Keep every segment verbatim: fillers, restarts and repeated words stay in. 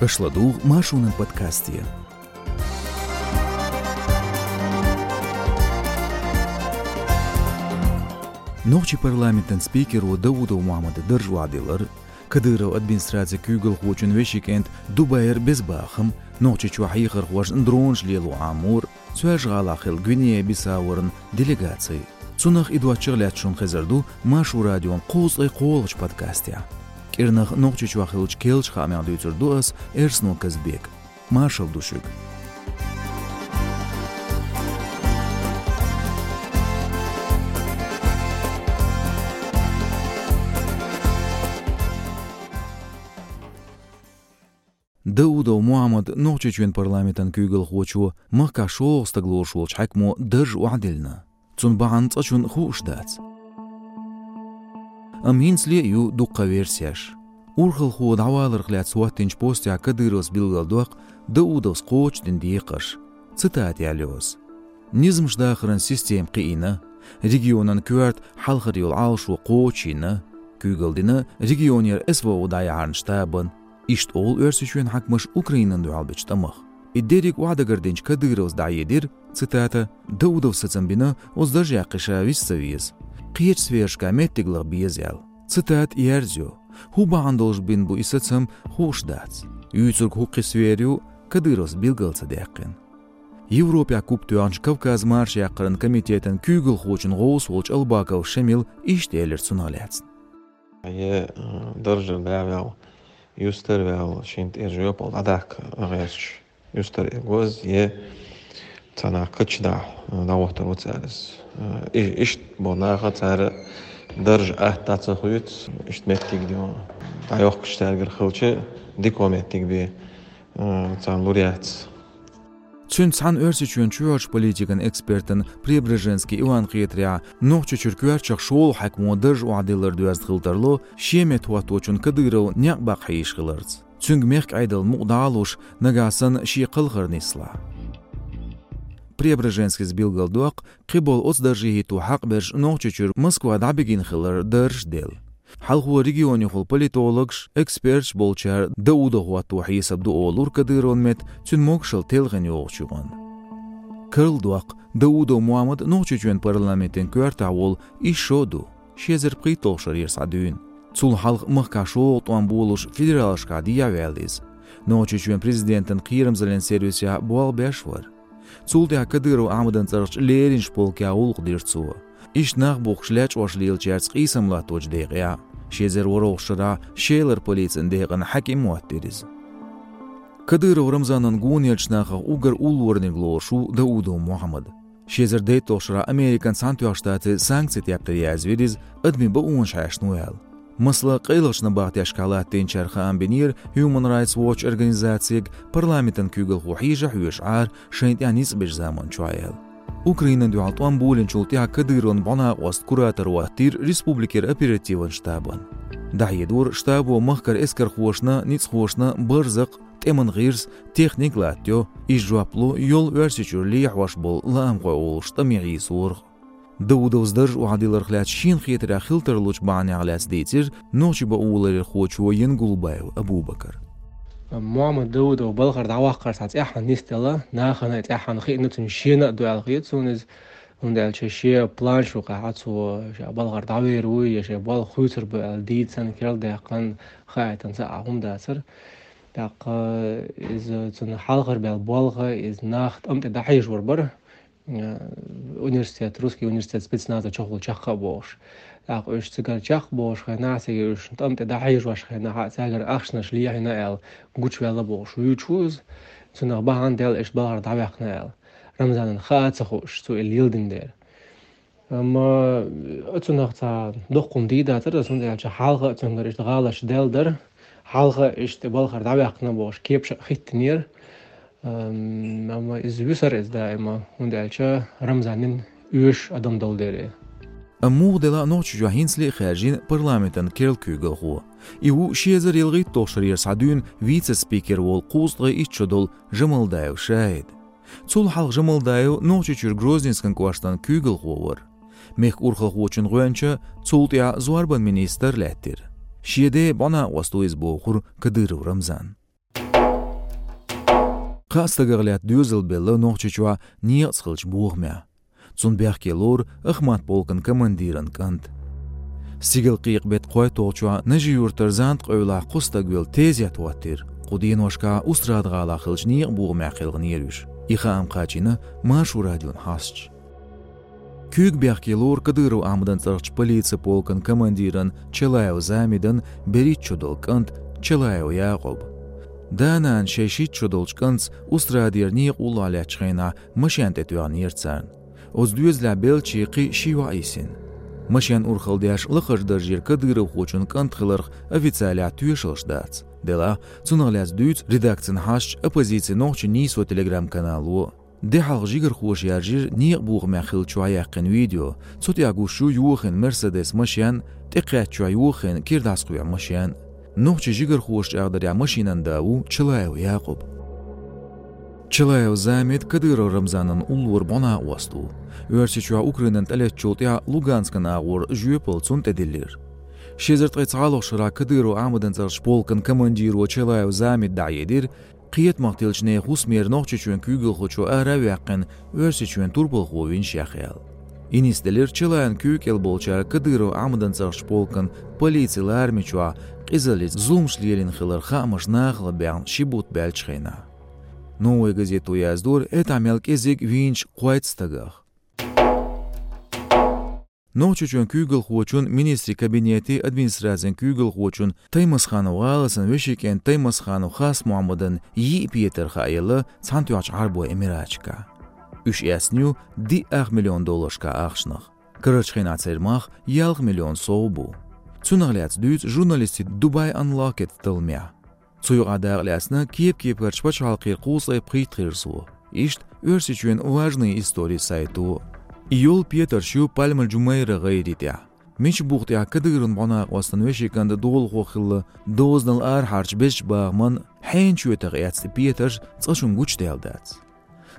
Аша ладугӀу Маршонан подкасте. Нохчийн парламентан спикеро Даудов Мухьаммада дарж охьадиллар, Кадыров администрацин куьйгалхочун вешин кӀант Дубайра беза бахам, Нохчийчохь хьехархошна дронаш лело Ӏамор, Соьлжа-ГӀалахь хилла Гвинея-Бисаура делегаци. Цунах а, доцчух а лаьцна шуна хезар ду Маршо радион кхузткъе кхоалгӀачу подкастехь. КӀирнах Нохчийчохь хиллачу керлачу хаамех дуьйцур ду ас, Эрсанов Казбек. Маршалла ду шуьга. Даудов Мухьаммад, Нохчийчоьнан парламентан куьйгалхочо, махкахь шолгӀа стаг лоруш волчу хьаькамо дарж охьадиллина. Цуьнан бахьана цкъачунна хууш дац. Амма хӀинцале а ю дуккха версеш. Урхалхо дӀаваларх лаьцна хӀоттийначу постехь Кадыровс билгалдоккху Даудовс кхочушдина декхарш. Цитата яьлла йо ас: «Низамаш дахаран система кхиийна, регионан коьрта хьалхара йолу Ӏалашо кхочушйина, куьйгалла дина регионера СВО дӀаяхьаран штабана». Иштта олу Оьрсийчоьнан хьаькамаша Украинана дуьхьал бечу тӀамах. И дерриг охьадагардинчу Кадыровс дӀахьедира, цитата: «Даудовс сацам бина, оцу даржехь кхин ша виса ца веза. Кхечу сферашкахь меттиг лаха беза», — аьлла. Цитата ерзайо. ХӀун бахьана долуш бина бу и сацам, хууш дац. Юьйцург хӀун кхин сфера ю, Кадыровс билгал ца даьккхина. Европехь куп тоьхначу Кавказ-марша яккхаран комитетан куьйгалхочун гӀовс волчу Албаков Шамила иштта элира цунах лаьцна. Е, э, даржа да ваьлла, юстара ваьлла, шен тӀе жоьпалла дӀадаккха гӀерташ, юстара э гоза, е цхьа нах кхача дахьа, э, дӀахӀоттар ву цара иза. Э, и-, иштта бо наха цара даржа атта дӀа ца хуьйцу, иштта меттиг дӀайохкуш цаьргара хилча, дика меттиг бен, э, царна лур яц. Цуьнца цхьаьна Оьрсийчоьнан чоьхьарчу политикан экспертан Преображенский Иван хетарехь, Нохчийчуьра коьртачех шолгӀа хьаькамо дарж охьадиллар доьзна хила тарло, шен метта хӀотточунна Кадыров некъ баккха хьийзаш хиларца. Цуьнга мехкан Ӏедалан мукъ дӀа а луш, нагахь санна шен кхалхар нислахь. Преображенскийс билгалдоккху, кхиболу оцу дарже хӀитто хьакъ берш Нохчийчуьра Москва дӀабигина хилар даржаш делла. Хьалхо регионехула политологаш, эксперташ болчара Даудов хӀотто хьесап ду олура Кадыровн метта цуьнан могушалла телхина йогӀучу юкъанна. Карладоккху, Даудов Мухьаммад Нохчийчоьнан парламентан коьртахь волу исс шо а ду, ши эзар пхийтталгӀа шарера схьа дуьйна. Цул хьалха махкахь шолгӀа тӀом болуш федералашкахь дехьаваьлла иза. Нохчийчоьнан президентан кхерамзаллин сервисехь болх беш вара. Цул тӀаьхьа Кадыров Ахьмадан цӀарахчу леринчу полкехь гӀуллакх дира цо. Иштта нах бухкуш лечкъош лелачаьрца къийсам латточу декъехь, ши эзар ворхӀалгӀачу шарахь Шелара полицин декъан хьаькам а хӀоттийра иза. Кадыров Рамзанан гонахь болчу нахах уггар уллораниг лоруш ву Даудов Мухьаммад. Ши эзар дейтталгӀачу шарахь Американ Цхьаьнатоьхначу Штатийн санкцийн тептаре язвира иза адамийн бакъонаш хьаьшна ву аьлла. Масала, къайлахчу набахтешкахь латтийначара хаам бинера Human Rights Watch организацига, парламентан куьйгалхо хьежа хьоьжуш Ӏара шайна тӀехь ницкъ бечу заманчохь аьлла. Украинана дуьхьал тӀом болийначул тӀаьхьа Кадыровн бӀонакъост куратор хӀоттийра республикера оперативан штабан. ДӀахьедора, штабо махкара эскархошна, ницкъахошна барзакъ, тӀеман гӀирс, техника латтайо, иза жоп ло йолу Оьрсийчуьра лехьош болу лаамхой олуш тӀаме хьийсорах. Даудовс дарж охьадилларх лаьцна шена хетарехь хила тарлучу бахьанех лаьцна дийцира нохчийн бакъонашларъярхочо Янгулбаев Абубакара. Мухьаммад Даудов балхара дӀаваккхар цхьа цӀеххьана нисделла, нахана а цӀеххьана хиъна, цуьнан шена а ду аьлла хета суна иза, хӀунда аьлча шен план шу кхаьхьа цо ша балхара дӀавер вуй я шен болх хуьйцур бу аьлла дийцина, керла даьккхина, хаийтина цхьа а хӀума дацара. ТӀаккха иза цуьнан хьалхара баьлла болх, иза нах тӀам тӀе дӀахьежор бара. Э, университет, русский университет спецназа чухула чекх а бохуш. ТӀаккха уьш цигара чекх а бохуш хенахь, цига уьш тӀам тӀе дӀахьежош хенахь, цаьргара ахчанаш лехьина аьлла, гучуваьлла бохуш вуьйцуш ву иза. Цунах бахьана делла, иштта балхара дӀаваьккхина аьлла. Рамзанна хаа а ца хууш, цо и леладина дера. Амма оцунах цхьа дуккха хӀума дийр дацара, хӀунда аьлча хьалха а цуьнгара иштта гӀалаташ даьлла дара, хьалха а иштта балхара дӀаваьккхина бохуш кепаш а хӀиттинера. Ам-, амма иза вуьсура иза даима, хӀунда аьлча Рамзанна оьшуш адам долу дела. Амма муха делахь а Нохчийчохь хӀинцале а хаьржина парламентан керла куьйгалхо. И ву ши эзар ялхитталгӀачу шарера схьа дуьйна вице-спикер волу кхузткъе итт шо долу Жамалдаев Шахид. Цул хьалха Жамалдаев Нохчийчуьра Грозненскан кӀоштан куьйгалхо вара. Мехкан урхалхочун гӀоьнча, цул тӀаьхьа зорбан министр лаьттира. Шен ден бӀонакъост ву иза бохура Кадыров Рамзана. Кхаа стагах лаьтта доьзал белла Нохчийчохь некъаца хиллачу бохамехь. Цунна бехке лору Ахмат полкан командиран кӀант. Стигалкхекхачу беттан кхойтталгӀачохь Нажи-Юьртара Занта къевлахь кхо стаг велла тезет хӀоттийра. Кху деношкахь Устрада-ГӀалахь хиллачу некъан бохамехь кхелхинера уьш. И хаам кхаьчнера Маршо радион хьасташа. Куьйга бехке лору Кадыров Ахьмадан цӀарахчу полицин полкан командиран Чалаев Замидан берхӀитта шо долу кӀант Чалаев Якъуб. Да-нана шайн шийтта шо долчу кӀантаца Устрадера некъа уллохь лаьттачу хенахь машен тӀе тоьхнера царна. Оцу доьзалехь беллачий кхин ши йоӀ йисина. Машен урхалла деш лакхарчу даржера кадыровхочун кӀант хиларх официалехь тоьшаллаш дац. Делахь, цунах лаьцна дуьйцу редакцин хьасташа «Оппозицин нохчийн нийсо» телеграм-канало. Де хьалха жигархоша яржийра некъан бохамехь хиллачохь яьккхина видео. Цу тӀехь гуш ю йохийна Мерседес машен, тӀекхаьчча йохийна кира дӀасакхоьхьу машен. Нохчийн жигархоша чӀагӀдарехь, машинан да ву Чалаев Якъуб. Чалаев Замид Кадыров Рамзанан уллора бӀо-накъост ву. Оьрсийчохь Украинана тӀелеттачул тӀаьхьа Луганскан агӀор жоьпалла цунна тӀедиллира. Ши эзар ткъе цхьалгӀачу шарахь Кадыров Ахьмадан цӀарахчу полкан командиро Чалаев Замида дӀахьедира, кхетамах тиллачу нехан хӀусамера Нохчийчоьнан куьйгалхочо ара а ваьккхина, Оьрсийчоьнан турпалхо винчу яхъяла. И нисделира Чалаевн куьйга кӀел болчара Кадыров Ахьмадан цӀарахчу полкан полицин ларам чохь къизаллица зуламаш лелийна хиларх хаамаш нахала баьхна ши бутт баьллачу хенахь. «Новая газета» яздора, этӀа мел кӀезиг вийначу кхойтта стагах. Нохчийчоьнан куьйгалхочун, министрийн кабинетан, администрацин куьйгалхочун Таймасханов ГӀаласан вешин кӀентан Таймасханов Хас-Мохьмадан йиъ петар хааелла Цхьаьнатоьхначу Ӏарбойн Эмираташкахь. Уьш эцна ю диъ ах миллион долларшкахь ахчанах. Карарчу хенахь церан мах ялх миллион сов бу. Цунах лаьцна дуьйцу журналистийн Dubai Unlocked талламехь. Цу юкъахь дакъа лаьцна кеп-кепарчу пачхьалкхера кхузткъе пхийтта гӀирсо. Иштта Оьрсийчоьнан «Важные истории» сайто. И йолу петарш ю Пальма-Джумейра гӀайре тӀехь. Мича буха тӀехь Кадыровн бӀо-накъостан вешин кӀанта долахо хилла дозанал арахьарчу безачу бахаман хьенан чоьтах эцна петарш цкъачунна гучудаьлла дац.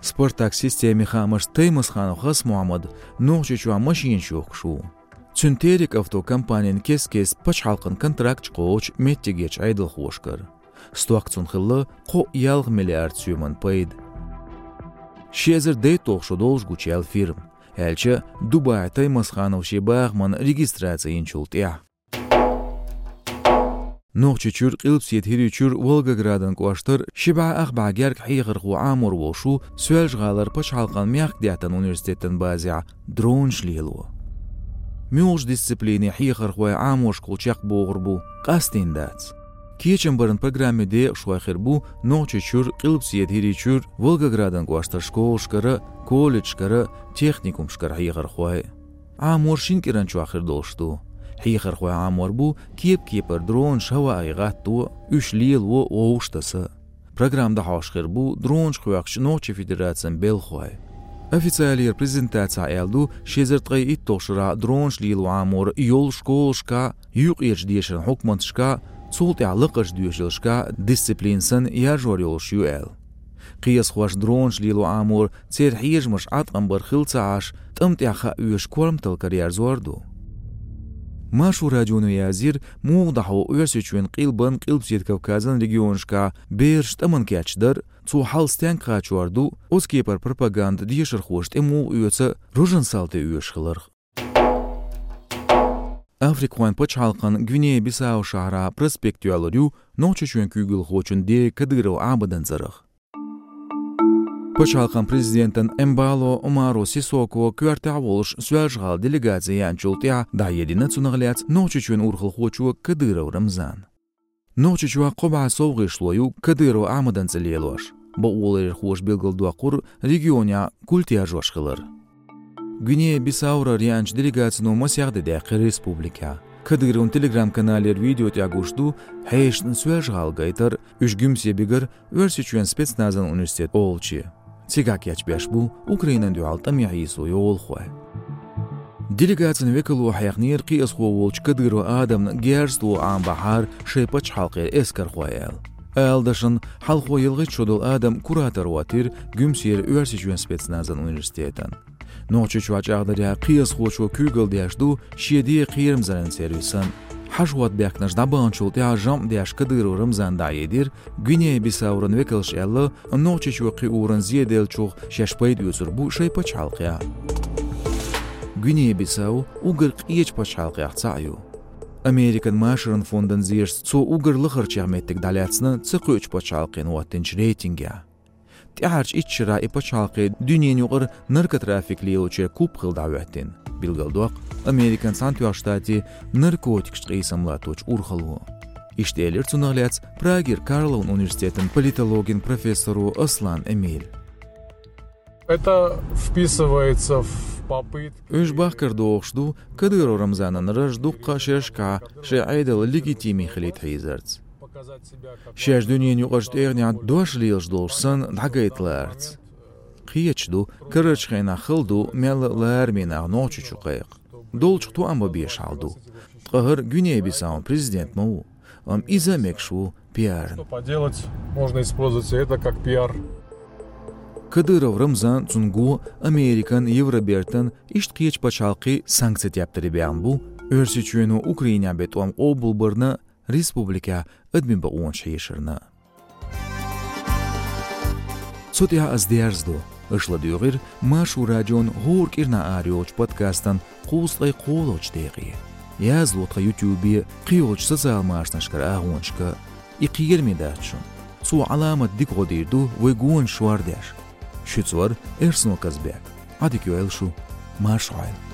«Спартак» системин хаамашца Таймасханов Хас-Мохьмад Нохчийчохь машинаш йохкуш ву. Цуьнан «Терек авто» компанина кест-кеста пачхьалкхан контракташ кхочу меттигерчу Ӏедалхошкара. Стохка цунна хилла кхо ялх миллиард соьман пайда. Ши эзар дейтталгӀа шо долуш гучуяьлла фирма, аьлча Дубайхь Таймасханов шен бахаман регистраци йинчул тӀаьхьа. Нохчийчуьра, Къилбаседа ХӀирийчуьра, Волгоградан кӀоштара ши бӀе ах бӀе гергга хьехархо Ӏамор волуш ву Соьлжа-ГӀалара пачхьалкхан мехкдаьттан университетан базехь дронаш лело. Муьлхачу дисциплинийн хьехархой Ӏаморшкахула чекхбохур бу, къастийна дац. Кечам баран программин декъашхой хир бу Нохчийчуьра, Къилбаседа ХӀирийчуьра, Волгоградан кӀоштара школашкара, колледжашкара, техникумашкара хьехархой. Ӏамор шина кӀиран чохь хир долуш ду. Хьехархой Ӏамор бу кеп-кепара дронаш хӀаваъе гӀатто, уьш лело, вовшахтаса. Программа дӀахьош хир бу дронаш хьоькхучу Нохчийн Федерацин белхахой. Официалера презентацехь аьлла ду, ши эзар ткъе итталгӀачу шарахь дронаш лело Ӏамор йолу школашкахь, юккъерчу дешаран хьукматашкахь, цул тӀаьхьа лакхарчу доьшийлашкахь дисциплина санна яржор йолуш ю аьлла. Кхиазхоша дронаш лело Ӏамор церан хьежамаш Ӏаткъам бар хилла ца Ӏаш, тӀам тӀехь хаа оьшуш корматалла караерзор ду. Маршо радионо язйира, муха дӀахьо Оьрсийчоьнан къилбан, Къилбаседа Кавказан регионашкахь бераш тӀамна кечдар, цо хьал стенга кхачор ду, оцу кепара пропаганда дешархоша тӀе муха оьцу, рожан салти оьшуш хиларх. Африкахойн пачхьалкхан Гвинея-Бисау шахьарахь проспект йоьллур ю Нохчийчоьнан куьйгалхочун дега Кадыров Ӏабдан цӀарах. Пачхьалкхан президентан Эмбало Омаро Сисоко коьртехь а волуш Соьлжа-ГӀала делегаци яьнчул тӀаьхьа дӀахьедина цунах лаьцна Нохчийчоьнан урхалхочо Кадыров Рамзана. Нохчийчохь кхо бӀе сов гӀишло ю Кадыров Ахьмадан цӀе лелош. Бакъоларъярхоша билгалдоккхура регионехь культ яржош хилар. Гвинея-Бисаурара яьнчу делегацино масех де даьккхира республикехь. Кадыровн телеграм-каналера видео тӀехь гуш ду хьешашна Соьлжа-ГӀала гайтар, уьш Гуьмсе бигар Оьрсийчоьнан спецназан университет олуче. Цигахь кечбеш бу Украинана дуьхьал тӀаме хьийсо йолахой. Делегацин векало хьехнера кхиазхо волчу Кадыров Адамна герз тоха Ӏамабахьара шайн пачхьалкхера эскархой аьлла. Ала дашна, хьалхо ялхитта шо долу Адам куратор хӀоттийра Гуьмсера Оьрсийчоьнан спецназан университетан. Нохчийчохь чӀагӀдарехь, кхиазхочо куьйгалла деш ду шен ден кхерамзаллин сервисан. Хьажа-хӀотта баьхкинарш дӀабаханчул тӀаьхьа жамӀ деш Кадыров Рамзана дӀахьедира, Гвинея-Бисауран векалша аьлла, Нохчийчоь кхин уран зе деллачух шаьш пайда оьцур бу шоай пачхьалкхехь. Гвинея-Бисау уггар къечу пачхьалкхех цхьаъ ю. Американ машаран фондан зерашца, цо уггар лахарчех меттиг дӀалаьцна ца кхуьучу пачхьалкхена хӀоттинчу рейтингехь. ТӀаьхьарчу итт шарахь и пачхьалкх дуьненан юкъара наркотрафик лелочеран куп хилла дӀахӀоьттина, билгалдоккху Американ Цхьаьнатоьхначу Штатийн наркотикашца къийсам латточу урхалло. Иштта элира цунах лаьцна Прагера Карловн университетан политологин профессоро Аслан Эмиль. Это вписывается в попытки... Уьш бахкар дохуш ду Кадыров Рамзанан раж дуккха а шерашкахь шайн Ӏедал легитиме хилийта хьийзарца. Шаьш дуьненан юкъарчу тӀегӀанехь дош лелаш долуш санна дӀагайта лаарца. Кхеташ ду, карарчу хенахь хала ду мелла а лараме нах Нохчийчу кхайкха. Долчух тоам бан безаш хьал ду. Ткъа хӀара Гвинея-Бисаун президент ма ву, амма иза а мегаш ву пиарна. Что поделать, можно использовать это как пиар. Кадыров Рамзан, цуьнан го Американ, Евробертан, иштта кхечу пачхьалкхийн санкцийн тептаре баьхна бу, Оьрсийчоьно Украинехь бен тӀом къобалбарна, республикехь адамийн бакъонаш хьешарна. Цу тӀехь ас дерзадо, аша ладуьйгӀира Маршо радион хӀора кӀирнахь арайолчу подкастан кхузткъе кхоалгӀачу декъе. Язло тхан ютубе, кхийолчу социал машанашкара агӀонашка. И кхераме дац шуна. Цо Ӏаламат дика гӀо дийр ду вай гонаш шордеш. Шуьца вара Эрсно Казбек. Ӏа дика йойла шу. Марша Ӏойла.